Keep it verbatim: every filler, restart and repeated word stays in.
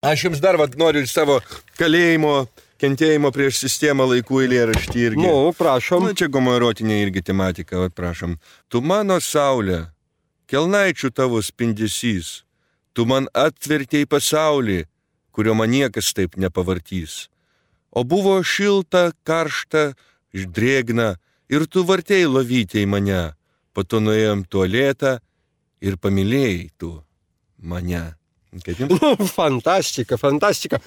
Aš jums dar vad noriu savo kalėjimo, kentėjimo prieš sistemą laikų eilėraštį irgi. Nu, prašom. Nu, čia homoerotinė irgi tematika, vad prašom. Tu mano saulė, kelnaičių tavo spindesys, tu man atvertėjai pasaulį, kurio man niekas taip nepavartys. O buvo šilta, karšta, drėgna, ir tu vartėjai lovytėjai mane, po to nuėjom tualetą ir pamilėjai tu mane. Fantastika, fantastika.